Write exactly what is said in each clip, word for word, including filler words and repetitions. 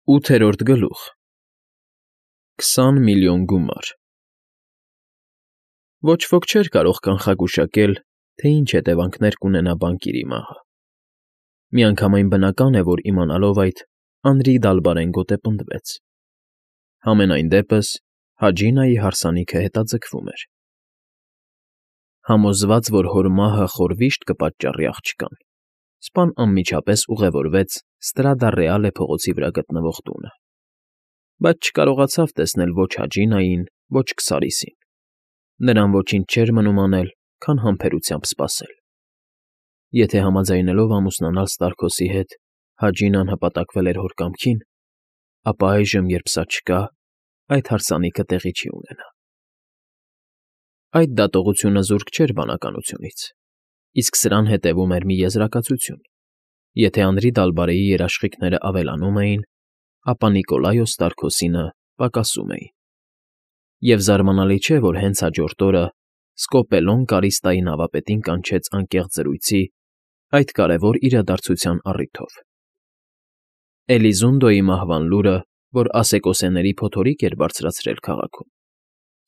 ՈՒԹԵՐՈՐԴ ԳԼՈՒԽ Քսան միլիոն գումար Ոչ ոք չէր կարող կանխագուշակել, թե ինչ հետևանքներ կունենա բանկիրի մահը. միանգամայն բնական է, որ իմանալով այդ, անրի դալբարեն գոտեպնդվեց. համենայն դեպս Հաջինայի հարսանիքը հետաձգվում էր. համոզված, որ հոր մահը խորվիշտ կպատճառի աղջկան, սպան անմիջապես ուղևորվեց Ստրադա Ռեալե փողոցի վրա գտնվող տունը, բայց չկարողացավ տեսնել ոչ Հաջինային, ոչ Քսարիսին. նրան ոչինչ չէր մնում անել, քան համբերությամբ սպասել. եթե համաձայնելով ամուսնանալ Ստարքոսի հետ Հաջինան հպատակվել էր հոր կամքին, ապա այժմ, երբ սա չկա, այդ հարսանիքը տեղի չի ունենա. Այդ դատողությունը զուրկ չէր բանականությունից, իսկ սրան հետևում էր մի եզրակացություն. եթե Անրի Դալբարեի երաշխիքներն ավելանում էին, ապա Նիկոլայոս Ստարքոսինը պակասում էին. և զարմանալի չէ, որ հենց հաջորդ օրը Սկոպելոն Կարիստայի նավապետին կանչեց անկեղծ զրույցի այդ կարևոր իրադարձության առիթով. Էլիզունդոյի մահվան լուրը, որ ասեկոսեների փոթորիկ էր բարձրացրել քաղաքում,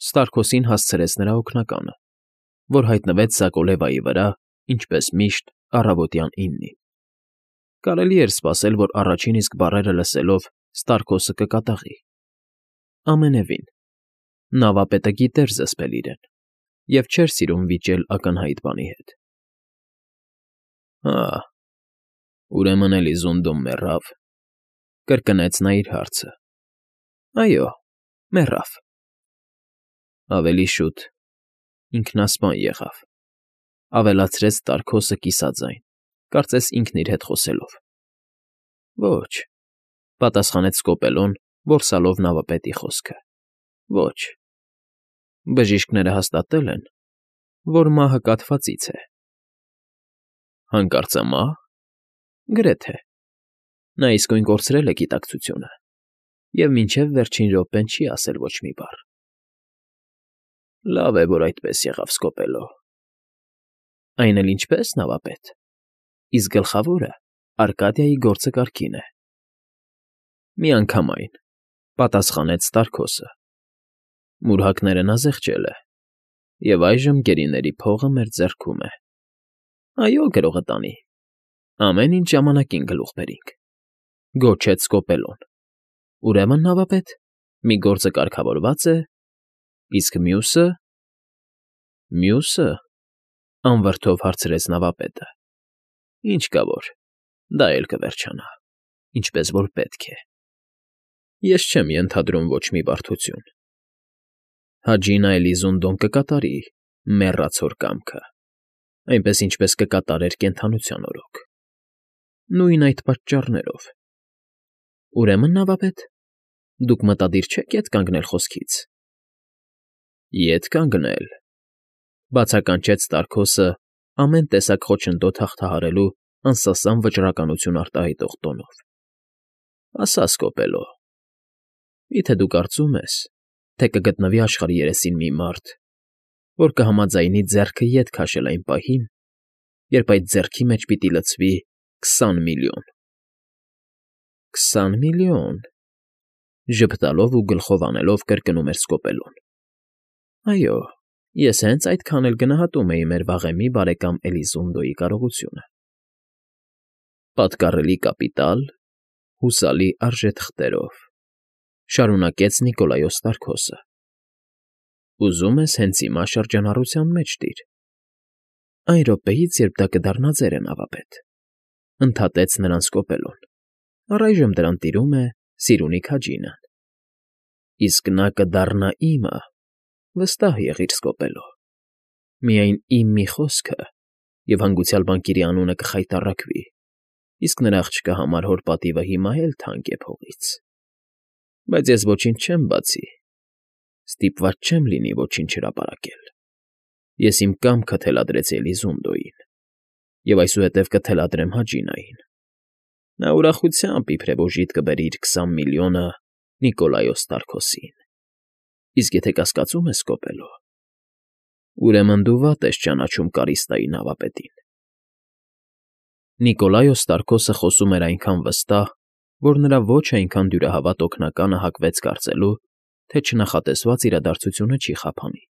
Ստարքոսին հասցրեց նրա օգնականը, որ հայտնվեց Սակոլևայի վրա, ինչպես միշտ, առավոտյան իննին. կարելի էր սպասել, որ առաջին իսկ բառերը լսելով Ստարքոսը կկատաղի. ամենևին, նավապետը գիտեր զսպել իրեն և չէր սիրում վիճել ակնհայտ բանի հետ. Հա, ուրեմն Էլիզունդոն մեռավ,֊ կրկնեց նա իր հարցը. այո, մեռավ. ավելի շուտ, ինքնասպան եղավ,֊ ավելացրեց Ստարքոսը կիսաձայն, կարծես ինքն իր հետ խոսելով. ոչ,֊ պատասխանեց Սկոպելոն, որսալով նավապետի խոսքը,֊ ոչ. բժիշկները հաստատել են, որ մահը կաթվածից է։ Հանկարծամա՞հ։ Գրեթե. նա իսկույն կորցրել է գիտակցությունը և մինչև վերջին րոպեն չի ասել ոչ մի բառ։ Լավ է, որ այդպես եղավ, Սկոպելո։ Այն էլ ինչպե՞ս, նավապետ, իսկ գլխավորը Արկադիայի գործը կարգին է։ Միանգամայն,֊ պատասխանեց Ստարքոսը. մուրհակները նա զեղչել է, և այժմ գերիների փողը մեր ձեռքում է։ Այո, գրողը տանի, ամեն ինչ ժամանակին գլուխ բերինք,֊ գոչեց Սկոպելոն։ Ուրեմն, նավապետ, մի գործը կարգավորվա՞ծ է, իսկ մյուսը… Մյուսը,֊ անվրդով հարցրեց նավապետը,֊ ինչ կա որ, դա էլ կվերջանա, ինչպես որ պետք է։ Ես չեմ ենթադրում ոչ մի բարդություն. Հաջինա Էլիզունդոն կկատարի մեռած հոր կամքը, այնպես ինչպես կկատարեր կենդանության օրոք, նույն այդ պատճառներով։ Ուրեմն, նավապետ, դուք մտադիր չեք ետ կանգնել խոսքից։ Ետ կանգնել,֊ բացականչեց Ստարքոսը ամեն տեսակ խոչընդոտ հաղթահարելու անսասան վճռականություն արտահայտող տոնով։ Ասա, Սկոպելո, մի՞թե դու կարծում ես, թե կգտնվի աշխարհի երեսին մի մարդ, որ կհամաձայնի ձեռքը ետ քաշել այն պահին, երբ այդ ձեռքի մեջ պիտի լցվի քսան միլիոն։ Քսան միլիոն,֊ ժպտալով ու գլխով անելով կրկնում էր Սկոպելոն։ Այո, ես հենց այդքան էլ գնահատում էի մեր վաղեմի բարեկամ Էլիզունդոյի կարողությունը։ Պատկառելի կապիտալ, հուսալի արժեթղթերով,֊ շարունակեց Նիկոլայոս Ստարքոսը։ Ուզում ես հենց հիմա շրջանառության մեջ տիր։ Այն րոպեից, երբ դա կդառնա ձերը, նավապետ,֊ ընդհատեց նրան Սկոպելոն, առայժմ դրան տիրում է Սիրունի Հաջինան։ Իսկ նա կդառնա իմը, վստահ եղիր, Սկոպելո։ Միայն իմ մի խոսքը, և հանգուցյալ բանկիրի անունը կխայտառակվի, իսկ նրա աղջկա համար հոր պատիվը հիմա էլ թանկ է փողից։ Բայց ես ոչինչ չեմ բացի, ստիպված չեմ լինի ոչինչ հրապարակել։ Ես իմ կամքը թելադրեցի Էլիզունդոյին և այսուհետև կթելադրեմ Հաջինային։ Նա ուրախությամբ իբրև օժիտ կբերի իր քսան միլիոնը Նիկոլայոս Ստարքոսին։ Իսկ եթե կասկածում ես, Սկոպելո, ուրեմն դու վատ ես ճանաչում Կարիստայի նավապետին։ Նիկոլայոս Ստարքոսը խոսում էր այնքան վստահ որ նրա ոչ այնքան դյուրահավատ օգնականը հակվեց կարծելու, թե չնախատեսված իրադարձությունը չի խափանի,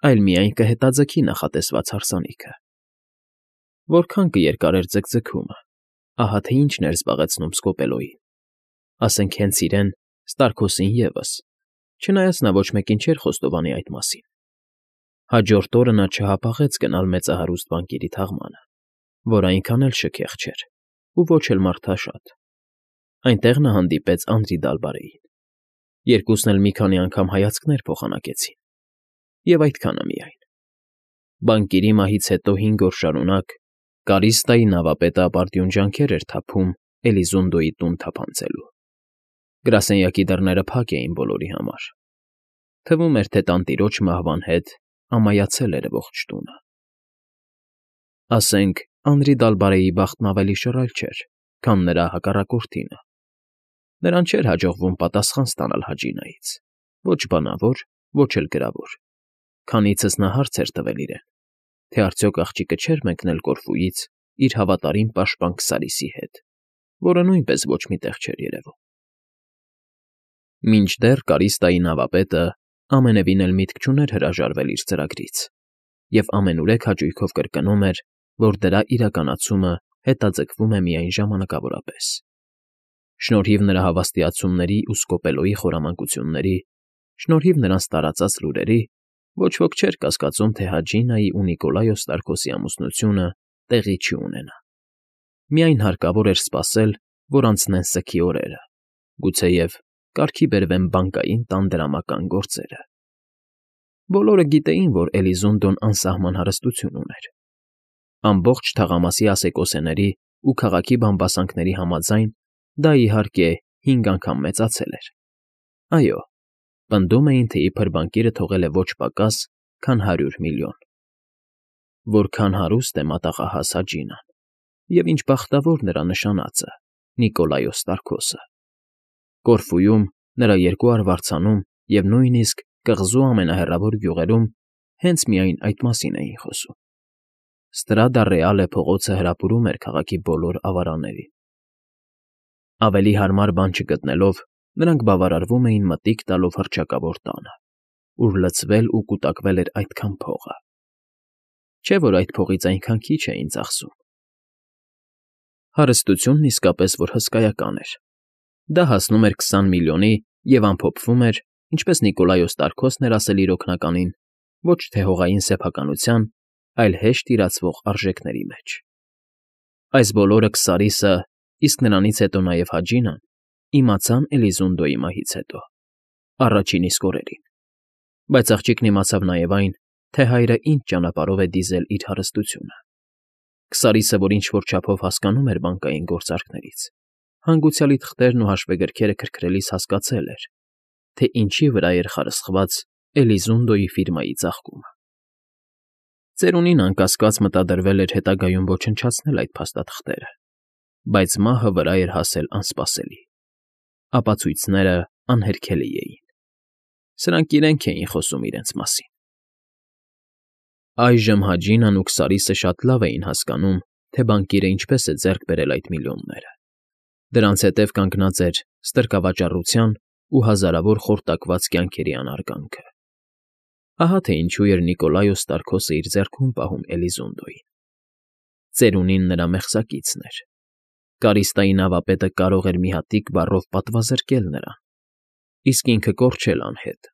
այլ միայն կհետաձգի նախատեսված հարսանիքը։ Որքան կերկարեր ձգձգումը, ահա թե ինչն էր զբաղեցնում Սկոպելոյին, ասենք հենց իրեն, Ստարքոսին ևս, չնայած նա ոչ մեկին չէր խոստովանի այդ մասին։ Հաջորդ օրը նա չհապաղեց գնալ մեծահարուստ բանկիրի թաղմանը, որ այնքան էլ շքեղ չէր ու ոչ էլ մարդաշատ։ Այնտեղ նա հանդիպեց Անդրի Դալբարեին։ Երկուսն էլ մի քանի անգամ հայացքներ փոխանակեցին, և այդքանը միայն։ Բանկիրի մահից հետո հինգ օր շարունակ Կարիստայի նավապետը ապարդյուն ջանքեր էր թափում Էլիզունդոյի տուն թափանցելու։ Գրասենյակի դռները փակ էին բոլորի համար։ Թվում էր, թե տանտիրոջ մահվան հետ ամայացել էր ողջ տունը։ Ասենք, Անդրի Դալբարեի բախտն ավելի շռայլ չէր, քան նրա հակառակորդինը։ Նրան չէր հաջողվում պատասխան ստանալ Հաջինայից, ոչ բանավոր, ոչ էլ գրավոր, քանիցս նա հարց էր տվել իրեն, թե արդյոք աղջիկը չէր մեկնել Կորֆուից իր հավատարիմ պաշտպան Քսարիսի հետ, որը նույնպես ոչ մի տեղ չէր երևում։ Մինչդեռ Կարիստայի նավապետը ամենևին էլ միտք չուներ հրաժարվել իր ծրագրից և ամենուրեք հաճույքով կրկնում էր, որ դրա իրականացումը հետաձգվում է միայն ժամանակավորապես։ Շնորհիվ նրա հավաստիացումների ու Սկոպելոյի խորամանկությունների, շնորհիվ նրանց տարածած լուրերի, ոչ ոք չէր կասկածում, թե Հաջինայի ու Նիկոլայոս Ստարքոսի ամուսնությունը տեղի չի ունենա։ Միայն հարկավոր էր սպասել, որ անցնեն սգի օրերը, գուցեև կարգի բերվեն բանկային տան դրամական գործերը։ Բոլորը գիտեին, որ Էլիզունդոն անսահման հարստություն ուներ։ Ամբողջ թաղամասի ասեկոսեների ու քաղաքի բամբասանքների համաձայն դա, իհարկե, հինգ անգամ մեծացել էր։ Այո, պնդում էին, թե իբր բանկիրը թողել է ոչ պակաս, քան հարյուր միլիոն։ Որքան հարուստ է մատաղահաս Հաջինան, և ինչ բախտավոր նրա նշանածը՝ Նիկոլայոս Ստարքոսը։ Կորֆուում, նրա երկու արվարձանում և նույնիսկ կղզու ամենահեռավոր գյուղերում հենց միայն այդ մասին էին խոսում։ Ստրադա Ռեալե փողոցը հրապուրում էր քաղաքի բոլոր ավարաներին։ Ավելի հարմար բան չգտնելով, նրանք բավարարվում էին մտիկ տալով հռչակավոր տանը, ուր լցվել ու կուտակվել էր այդքան փողը։ Չէ՞ որ այդ փողից այնքան քիչ էին ծախսում։ Հարստությունն իսկապես որ հսկայական էր։ Դա հասնում էր քսան միլիոնի և ամփոփվում էր, ինչպես Նիկոլայոս Ստարքոսն էր ասել իր օգնականին, ոչ թե հողային սեփականության, այլ հեշտ իրացվող արժեքների մեջ։ Այս բոլորը Քսարիսը, իսկ նրանից հետո նաև Հաջինան, իմացան Էլիզունդոյի մահից հետո, առաջին իսկ օրերին, բայց աղջիկն իմացավ նաև այն, թե հայրը ինչ ճանապարհով է դիզել իր հարստությունը։ Քսարիսը, որ ինչ֊որ չափով հասկանում էր բանկային գործարքներից, հանգուցյալի թղթերն ու հաշվեգրքերը քրքրելիս հասկացել էր, թե ինչի վրա էր խարսխված Էլիզունդոյի ֆիրմայի ծաղկումը։ Ծերունին անկասկած մտադրվել էր հետագայում ոչնչացնել այդ փաստաթղթերը, բայց մահը վրա էր հասել անսպասելի։ Ապացույցները անհերքելի էին։ Սրանք իրենք էին խոսում իրենց մասին։ Այժմ Հաջինան ու Քսարիսը շատ լավ էին հասկանում, թե բանկիրը ինչպես է ձեռք բերել այդ միլիոնները։ Դրանց հետև կանգնած էր ստրկավաճառության ու հազարավոր խորտակված կյանքերի անարգանքը։ Ահա թե ինչու էր Նիկոլայոս Ստարքոսը իր ձեռքում պահում Էլիզունդոյին։ Ծերունին նրա մեղսակիցն էր։ Կարիստայի նավապետը կարող էր մի հատիկ բառով պատվազրկել նրան, իսկ ինքը կորչել անհետ,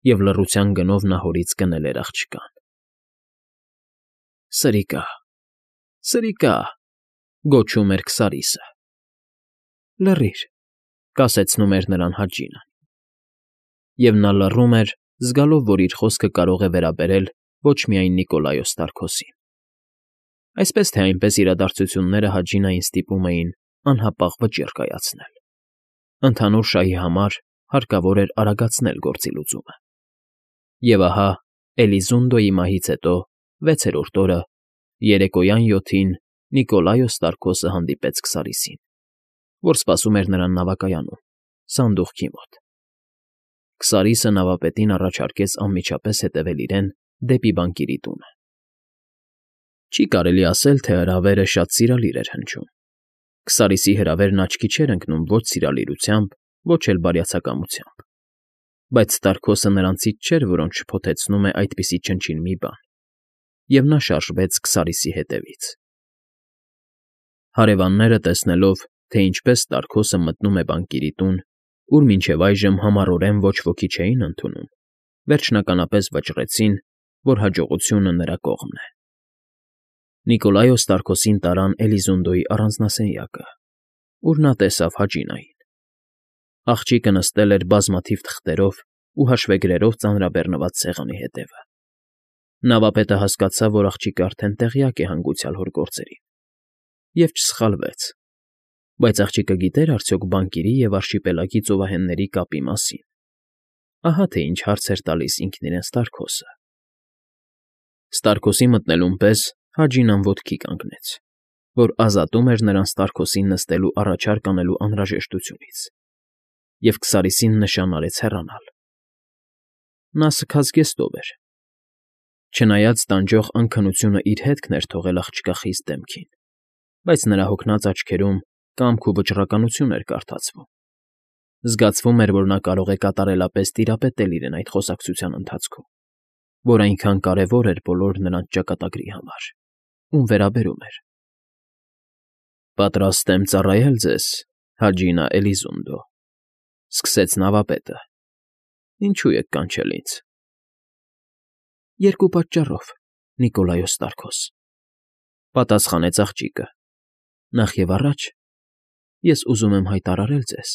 և լռության գնով նա հորից կնել էր աղջկան։ Սրիկա, սրիկա, գոչում էր Քսարիսը։ Լռիր, կասեցնում էր նրան Հաջինան։ Եվ նա լռում էր, զգալով, որ իր խոսքը կարող է վերաբերել ոչ միայն Նիկոլայոս Ստարքոսին։ Այսպես թե այնպես իրադարձությունները Հաջինային ստիպում էին անհապաղ վճիռ կայացնել։ Ընդհանուր շահի համար հարկավոր էր արագացնել գործի լուծումը։ Եվ ահա Էլիզունդոյի մահից հետո վեցերորդ օրը, երեկոյան յոթին Նիկոլայոս Ստարքոսը հանդիպեց Քսարիսին, որ սպասում էր նրան նավակայանում, սանդուղքի մոտ։ Քսարիսը նավապետին առաջարկեց անմիջապես հետևել իրեն դեպի բանկիրի տունը։ Չի կարելի ասել, թե հրավերը շատ սիրալիր էր հնչում։ Քսարիսի հրավերն աչքի չէր ընկնում ոչ սիրալիրությամբ, ոչ էլ բարյացակամությամբ, բայց Ստարքոսը նրանցից չէր, որոնց շփոթեցնում է այդպիսի չնչին մի բան, և նա շարժվեց Քսարիսի հետևից։ Հարևանները, տեսնելով, թե ինչպես Ստարքոսը մտնում է բանկիրի տուն, ուր մինչև այժմ համառորեն ոչ ոքի չէին ընդունում, վերջնականապես վճռեցին, որ հաջողությունը նրա կողմն է։ Նիկոլայոս Ստարքոսին տարան Էլիզունդոյի առանձնասենյակը, ուր նա տեսավ Հաջինային։ Աղջիկը նստել էր բազմաթիվ թղթերով ու հաշվեգրերով ծանրաբեռնված սեղանի հետևը։ Նավապետը հասկացավ, որ աղջիկը արդեն տեղյակ է հանգուցյալ հոր գործերին, և չսխալվեց, բայց աղջիկը գիտե՞ր արդյոք բանկիրի և արշիպելագի ծովահենների կապի մասին։ Ահա թե ինչ հարց էր տալիս ինքն իրեն Ստարքոսը։ Ստարքոսի մտնելուն պես Հաջինան ոտքի կանգնեց, որ ազատում էր նրան Ստարքոսին նստելու առաջարկ անելու անհրաժեշտությունից, և Քսարիսին նշան արեց հեռանալ։ Նա սգած զգեստով էր։ Չնայած տանջող անքնությունը իր հետքն էր թողել աղջկա խիստ դեմքին, բայց նրա հոգնած աչքերում կամք ու վճռականություն էր կարդացվում։ Զգացվում էր, որ նա կարող է կատարելապես տիրապետել իրեն այդ խոսակցության ընթացքում, որ այնքան կարևոր էր բոլոր նրանց ճակատագրի համար, ում վերաբերում էր։ «Պատրաստ եմ ծառայել ձեզ, Հաջինա Էլիզունդո», ֊ սկսեց նավապետը։ «Ինչու եք կանչել ինձ»։ «Երկու պատճառով, Նիկոլայոս Ստարքոս», ֊ պատասխանեց աղջիկը։ «Նախ և առաջ ես ուզում եմ հայտարարել ձեզ,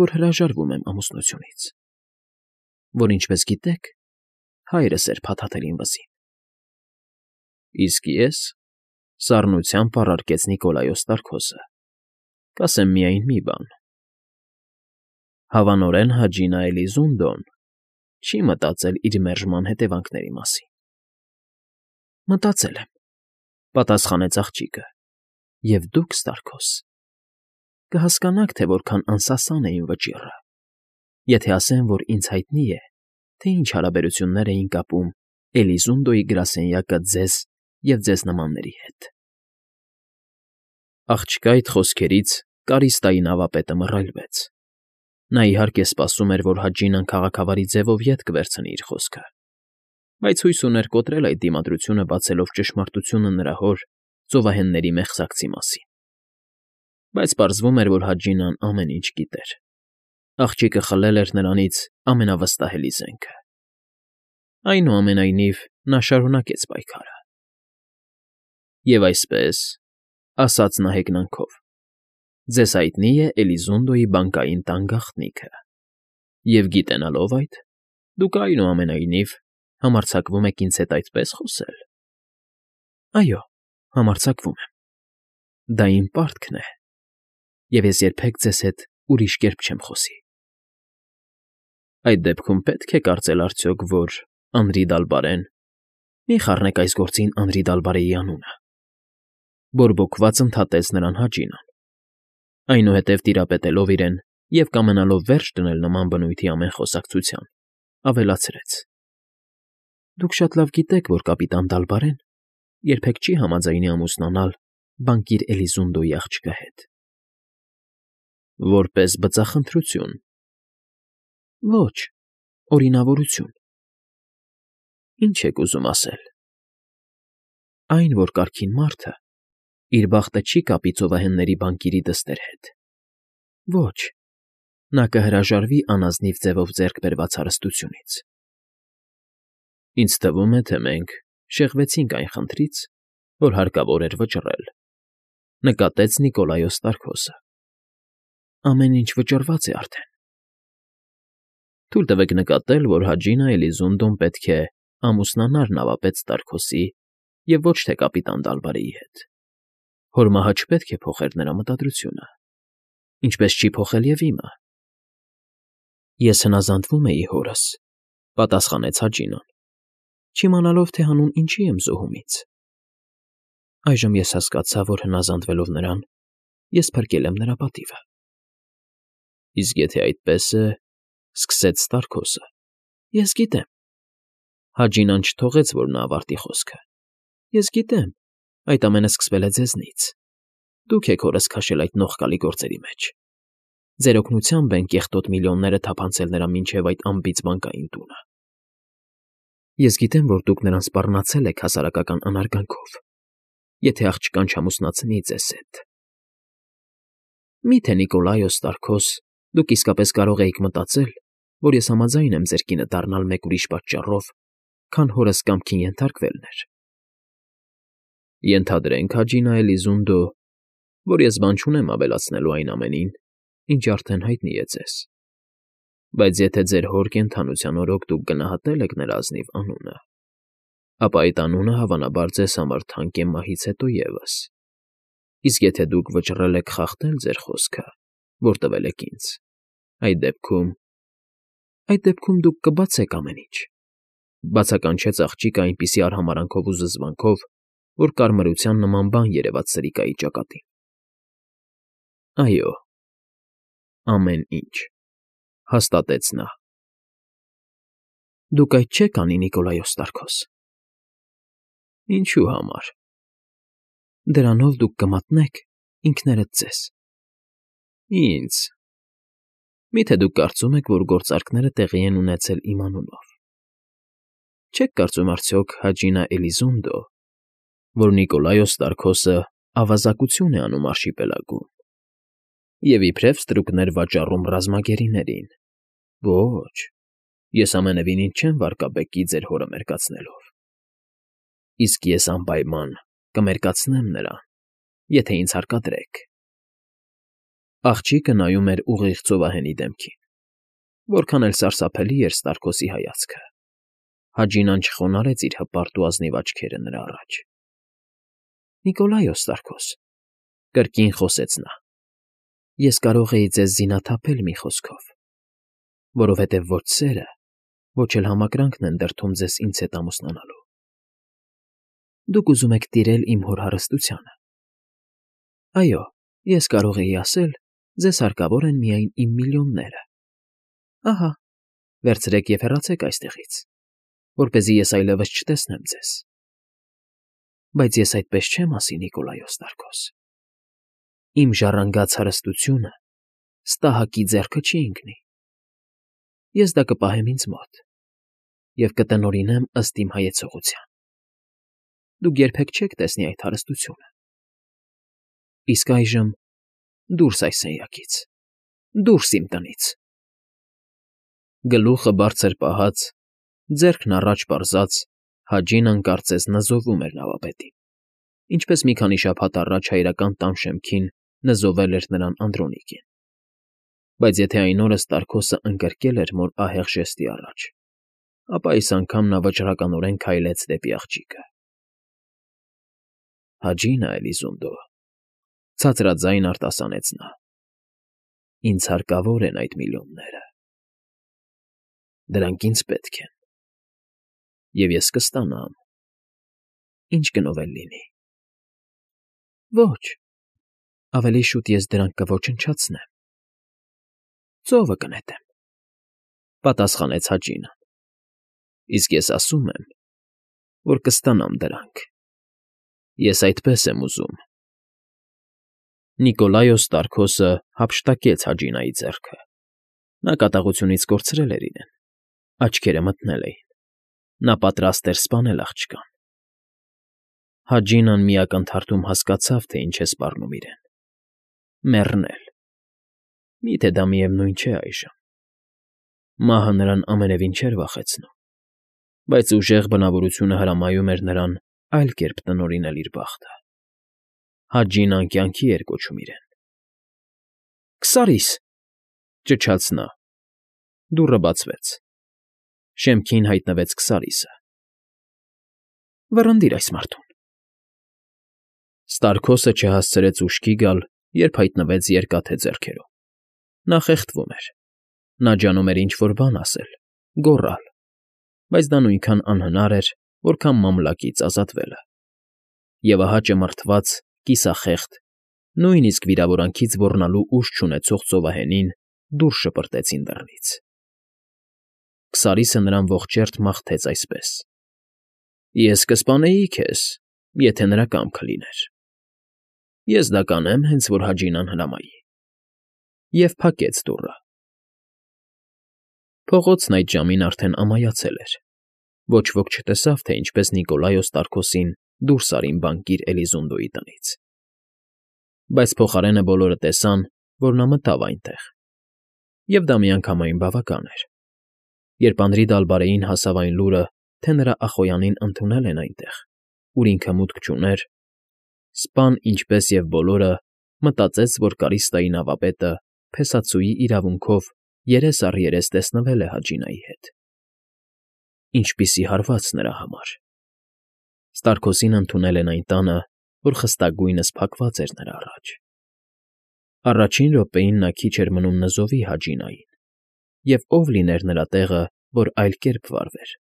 որ հրաժարվում եմ ամուսնությունից, որ, ինչպես գիտեք, հայրս էր փաթաթել իմ վզին»։ «Իսկ ես,֊ սառնությամբ առարկեց Նիկոլայոս Ստարքոսը,֊ կասեմ միայն մի բան. հավանորեն Հաջինա Էլիզունդոն չի մտածել իր մերժման հետևանքների մասին»։ «Մտածել եմ,֊ պատասխանեց աղջիկը,֊ և դուք, Ստարքոս, կհասկանաք, թե որքան անսասան է իմ վճիռը, եթե ասեմ, որ ինձ հայտնի է, թե ինչ հարաբերություններ էին կապում Էլիզունդոյի գրասենյակը ձեզ և ձեզ նմանների հետ»։ Աղջկա այդ խոսքերից Կարիստայի նավապետը մռայլվեց։ Նա, իհարկե, սպասում էր, որ Հաջինան քաղաքավարի ձևով ետ կվերցնի իր խոսքը, բայց հույս ուներ կոտրել այդ դիմադրությունը, բացելով ճշմարտությունը նրա հոր՝ ծովահենների մեղսակցի մասին։ Բայց պարզվում էր, որ Հաջինան ամեն ինչ գիտեր։ Աղջիկը խլել էր նրանից ամենավստահելի զենքը։ Այնուամենայնիվ, նա շարունակեց պայքարը։ «Եվ այսպես,֊ ասաց նա հեգնանքով,֊ ձեզ հայտնի է Էլիզունդոյի բանկային տան գաղտնիքը, և գիտենալով այդ, դուք, այնուամենայնիվ, համարձակվում եք ինձ հետ այդպես խոսել»։ «Այո, համարձակվում եմ։ Դա իմ պարտքն է, և ես երբեք ձեզ հետ ուրիշ կերպ չեմ խոսի»։ «Այդ դեպքում պետք է կարծել արդյոք, որ Անրի Դալբարեն…» «Մի խառնեք այս գործին Անրի Դալբարեի անունը,֊ բորբոքված ընդհատեց նրան Հաջինան, այնուհետև տիրապետելով իրեն և կամենալով վերջ դնել նման բնույթի ամեն խոսակցության, ավելացրեց. «Դուք շատ լավ գիտեք, որ կապիտան Դալբարեն երբեք չի համաձայնի ամուսնանալ բանկիր Էլիզունդոյի աղջկա հետ»։ «Որպես բծախնդրություն»։ «Ոչ, օրինավորություն»։ «Ինչ եք ուզում ասել»։ «Այն, որ կարգին մարդը իր բախտը չի կապի ծովահենների բանկիրի դստեր հետ։ Ոչ, նա կհրաժարվի անազնիվ ձևով ձեռք բերված հարստությունից»։ «Ինձ թվում է, թե մենք շեղվեցինք այն խնդրից, որ հարկավոր էր վճռել»,֊ նկատեց Նիկոլայոս Ստարքոսը։ «Ամեն ինչ վճռված է արդեն»։ «Թույլ տվեք նկատել, որ Հաջինա Էլիզունդոն պետք է ամուսնանար նավապետ Ստարքոսի և ոչ թե կապիտան Դալբարեի հետ։ Հոր մահը չպետք է փոխեր նրա մտադրությունը, ինչպես չի փոխել և իմը»։ «Ես հնազանդվում էի հորս,֊ պատասխանեց Հաջինան, չիմանալով, թե հանուն ինչի եմ զոհում ինձ։ Այժմ ես հասկացա, որ հնազանդվելով նրան, ես փրկել եմ նրա պատիվը»։ «Իսկ եթե այդպես է,֊ սկսեց Ստարքոսը,֊ Ես գիտեմ…» Հաջինան չթողեց, որ նա ավարտի խոսքը։ «Ես գիտեմ, այդ ամենը սկսվել է ձեզնից, Դուք եք հորս քաշել այդ նողկալի գործերի մեջ։ Ձեր օգնությամբ են կեղտոտ միլիոնները թափանցել նրա մինչև այդ անբիծ բանկային տունը։ Ես գիտեմ, որ դուք նրան սպառնացել եք հասարակական անարգանքով, եթե աղջկան չամուսնացնի ձեզ հետ։ Մի՞թե Նիկոլայոս Ստարքոս, դուք իսկապես կարող էիք մտածել, որ ես համաձայն եմ ձեր կինը դառնալ մեկ ուրիշ պատճառով, քան հորս կամքին ենթարկվելն էր։ Ենթադրենք, Հաջինա Էլիզունդո, որ ես բան չունեմ ավելացնելու այն ամենին, ինչ արդեն հայտնի է ձեզ։ Բայց եթե ձեր հոր կենդանության օրոք դուք գնահատել եք նրա ազնիվ անունը, ապա այդ անունը հավանաբար ձեզ համար թանկ է մահից հետո ևս։ Իսկ եթե դուք վճռել եք խախտել ձեր խոսքը, որ տվել եք ինձ, այդ դեպքում… այդ դեպքում դուք կբացեք ամեն ինչ, բացականչեց աղջիկը այնպիսի արհամարանքով ու զզվանքով, որ կարմրության նման բան երևաց սրիկայի ճակատին։ Այո, ամեն ինչ, հաստատեց նա։ Դուք այդ չեք անի, Նիկոլայոս Ստարքոս։ Ինչու համար։ Դրանով դուք կմատնեք ինքներդ ձեզ։ Ինձ… Միթե դուք կարծում եք, որ գործարքները տեղի են ունեցել իմ անունով։ Չեք կարծում արդյոք, Հաջինա Էլիզունդո, որ Նիկոլայոս Ստարքոսը ավազակություն է անում արշիպելագում և իբրև ստրուկներ վաճառում ռազմագերիներին։ Ոչ, ես ամենևին չեմ վարկաբեկի ձեր հորը մերկացնելով։ Իսկ ես անպայման կմերկացնեմ նրան, եթե ինձ հարկադրեք։ Աղջիկը նայում էր ուղիղ ծովահենի դեմքին, որքան էլ սարսափելի էր Ստարքոսի հայացքը։ Հաջինան չխոնարհեց իր հպարտ ու ազնիվ աչքերը նրա առաջ։ Նիկոլայոս Ստարքոս, կրկին խոսեց նա, ես կարող էի ձեզ զինաթափել մի խոսքով, որովհետև ոչ սերը, ոչ էլ համակրանքն են դրդում ձեզ ինձ հետ ամուսնանալու։ Դուք ուզում եք տիրել իմ հոր հարստությանը։ Այո, ես կարող էի ասել, ձեզ հարկավոր են միայն իմ միլիոնները։ Ահա, վերցրեք և հեռացեք այստեղից, որպեսզի ես այլևս չտեսնեմ ձեզ։ Բայց ես այդպես չեմ ասի, Նիկոլայոս Ստարքոս։ Իմ ժառանգած հարստությունը ստահակի ձեռքը չի ընկնի։ Ես դա կպահեմ ինձ մոտ և կտնօրինեմ ըստ իմ հայեցողության։ Դուք երբեք չեք տեսնի այդ հարստությունը։ Իսկ այժմ դուրս այս սենյակից, դուրս իմ տնից։ Գլուխը բարձր պահած, ձեռքն առաջ պարզած, Հաջինան կարծես նզովում էր նավապետին, ինչպես մի քանի շաբաթ առաջ հայրական տան շեմքին նզովել էր նրան Անդրոնիկին։ Բայց եթե այն օրը Ստարքոսը ընկրկել էր մոր ահեղ ժեստի առաջ, ապա այս անգամ նա վճռականորեն քայլեց դեպի աղջիկը։ Հաջինա Էլիզունդո, ցածրաձայն արտասանեց նա, ինձ հարկավոր են այդ միլիոնները։ Դրանք ինձ պետք են, և ես կստանամ, ինչ գնով էլ լինի։ Ոչ, ավելի շուտ ես դրանք կոչնչացնեմ, ծովը կնետեմ, պատասխանեց Հաջինան, իսկ ես ասում եմ, որ կստանամ դրանք, ես այդպես եմ ուզում։ Նիկոլայոս Ստարքոսը հափշտակեց Հաջինայի ձեռքը։ Նա կատաղությունից կորցրել էր իրեն, աչքերը մթնել էին, նա պատրաստ էր սպանել աղջկան։ Հաջինան մի ակնթարթում հասկացավ, թե ինչ է սպառնում իրեն։ Մեռնել… Միթե դա միևնույն չէ այժմ։ Մահը նրան ամենևին չէր վախեցնում, բայց ուժեղ բնավորությունը հրամայում էր նրան այլ կերպ տնօրինել իր բախտը։ Հաջինան կյանքի էր կոչում իրեն։ Քսարի՛ս,֊ ճչաց նա։ Դուռը բացվեց։ Շեմքին հայտնվեց Քսարիսը։ Վռնդիր այս մարդուն։ Ստարքոսը չհասցրեց ուշքի գալ, երբ հայտնվեց երկաթե ձեռքերով։ Նա խեղդվում էր։ Նա ջանում էր ինչ֊որ բան ասել, գոռալ, բայց դա նույնքան անհնար էր, որքան մամլակից ազատվելը։ Եվ ահա ճմրթված, կիսախեղդ, նույնիսկ վիրավորանքից ոռնալու ուժ չունեցող ծովահենին դուրս շպրտեցին դռնից։ Քսարիսը նրան ողջերթ մաղթեց այսպես. Ես կսպանեի քեզ, եթե նրա կամքը լիներ։ Ես դա կանեմ, հենց որ Հաջինան հրամայի։ Եվ փակեց դուռը։ Փողոցն այդ ժամին արդեն ամայացել էր։ Ոչ ոք չտեսավ, թե ինչպես Նիկոլայոս Տարքոսին դուրս արին բանկիր Էլիզունդոյի տնից։ Բայց փոխարենը բոլորը տեսան, որ նա մտավ այնտեղ։ Եվ դա միանգամայն բավական էր։ Երբ Անրի Դալբարեին հասավ այն լուրը, թե նրա ախոյանին ընդունել են այնտեղ, ուր ինքը մուտք չուներ, սպան, ինչպես և բոլորը, մտածեց, որ Կարիստայի նավապետը փեսացուի իրավունքով երես առ երես տեսնվել է Հաջինայի հետ։ Ինչպիսի հարված նրա համար։ Ստարքոսին ընդունել են այն տանը, որ խստագույնս փակված էր նրա առաջ։ Առաջին րոպեին նա քիչ էր մնում նզովի Հաջինային, և ով լիներ նրա տեղը, որ այլ կերպ վարվեր։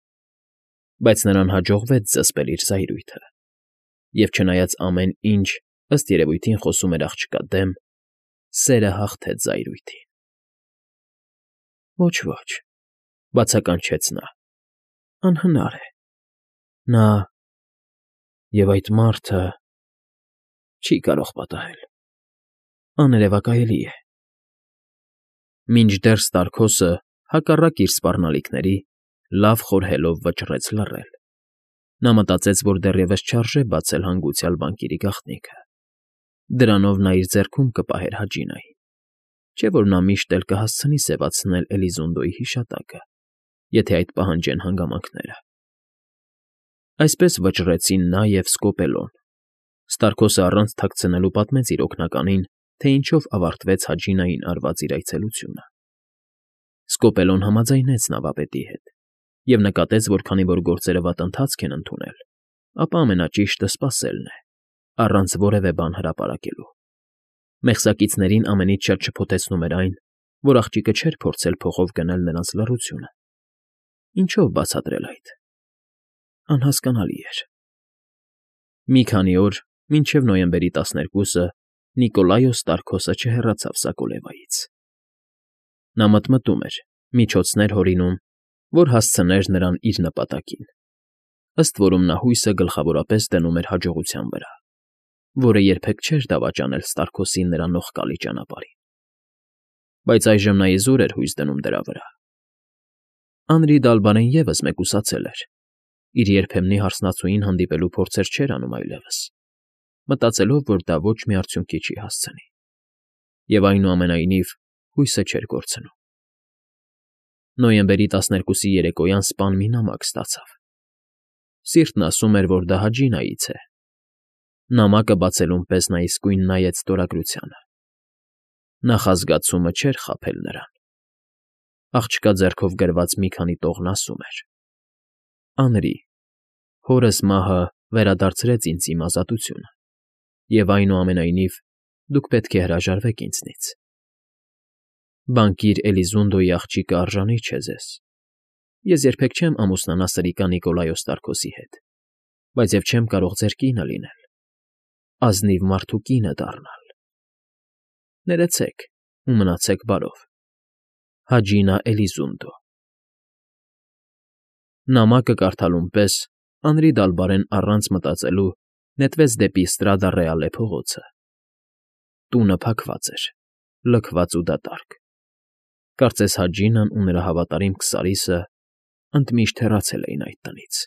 Բայց նրան հաջողվեց զսպել իր զայրույթը, և չնայած ամեն ինչ, ըստ երևույթին, խոսում էր աղջկա դեմ, սերը հաղթեց զայրույթին։ Ոչ, ոչ,֊ բացականչեց նա,֊ անհնար է։ Նա… և այդ մարդը… չի կարող պատահել… աներևակայելի է… Մինչդեռ Ստարքոսը, հակառակ իր սպառնալիքների, լավ խորհելով վճռեց լռել։ Նա մտածեց, որ դեռևս չարժե բացել հանգուցյալ բանկիրի գաղտնիքը։ Դրանով նա իր ձեռքում կպահեր Հաջինային, չէ՞ որ նա միշտ էլ կհասցնի սևացնել Էլիզունդոյի հիշատակը, եթե այդ պահանջեն հանգամանքները։ Այսպես վճռեցին նա և Սկոպելոն։ Ստարքոսը առանց թաքցնելու պատմեց իր օգնականին, թե ինչով ավարտվեց Հաջինային արված իր այցելությունը։ Սկոպելոն համաձայնեց նավապետի հետ և նկատեց, որ քանի որ գործերը վատ ընթացք են ընդունել, ապա ամենաճիշտը սպասելն է, առանց որևէ բան հրապարակելու։ Մեղսակիցներին ամենից շատ շփոթեցնում էր այն, որ աղջիկը չէր փորձել փողով գնել նրանց լռությունը։ Ինչո՞վ բացատրել այդ… անհասկանալի էր։ Մի քանի օր, մինչև նոյեմբերի տասներկուսը, Նիկոլայոս Տարքոսը չհեռացավ Սակոլևայից։ Նա մտմտում էր, միջոցներ հորինում, որ հասցներ նրան իր նպատակին, ըստ որում նա հույսը գլխավորապես դնում էր հաջողության վրա, որը երբեք չէր դավաճանել Ստարքոսին նրա նողկալի ճանապարհին։ Բայց այժմ նա իզուր էր հույս դնում դրա վրա։ Անրի Դալբարեն ևս մեկուսացել էր, իր երբեմնի հարսնացուին հանդիպելու փորձեր չէր անում այլևս, մտածելով, որ դա ոչ մի արդյունքի չի հասցնի, և այնուամենայնիվ հույսը չէր կորցնում։ Նոյեմբերի տասներկուսի երեկոյան սպան մի նամակ ստացավ։ Սիրտն ասում էր, որ դա Հաջինայից է։ Նամակը բացելուն պես նա իսկույն նայեց ստորագրությանը։ Նախազգացումը չէր խաբել նրան։ Աղջկա ձեռքով գրված մի քանի տողն ասում էր. «Անրի, հորս մահը վերադարձրեց ինձ իմ ազատությունը, և այնուամենայնիվ դուք պետք է հրաժարվեք ինձնից։ Բանկիր Էլիզունդոյի աղջիկը արժանի չէ ձեզ։ Ես երբեք չեմ ամուսնանա սրիկա Նիկոլայոս Տարքոսի հետ, բայց և չեմ կարող ձեր կինը լինել, ազնիվ մարդու կինը դառնալ։ Ներեցեք ու մնացեք բարով։ Հաջինա Էլիզունդո»։ Նամակը կարդալուն պես Անրի Դալբարեն առանց մտածելու նետվեց դեպի Ստրադա Ռեալե փողոցը։ Տունը փակված էր, լքված ու դատարկ։ Կարծես Հաջինան ու նրա հավատարիմ Քսարիսը ընդմիշտ հեռացել էին այդ տնից։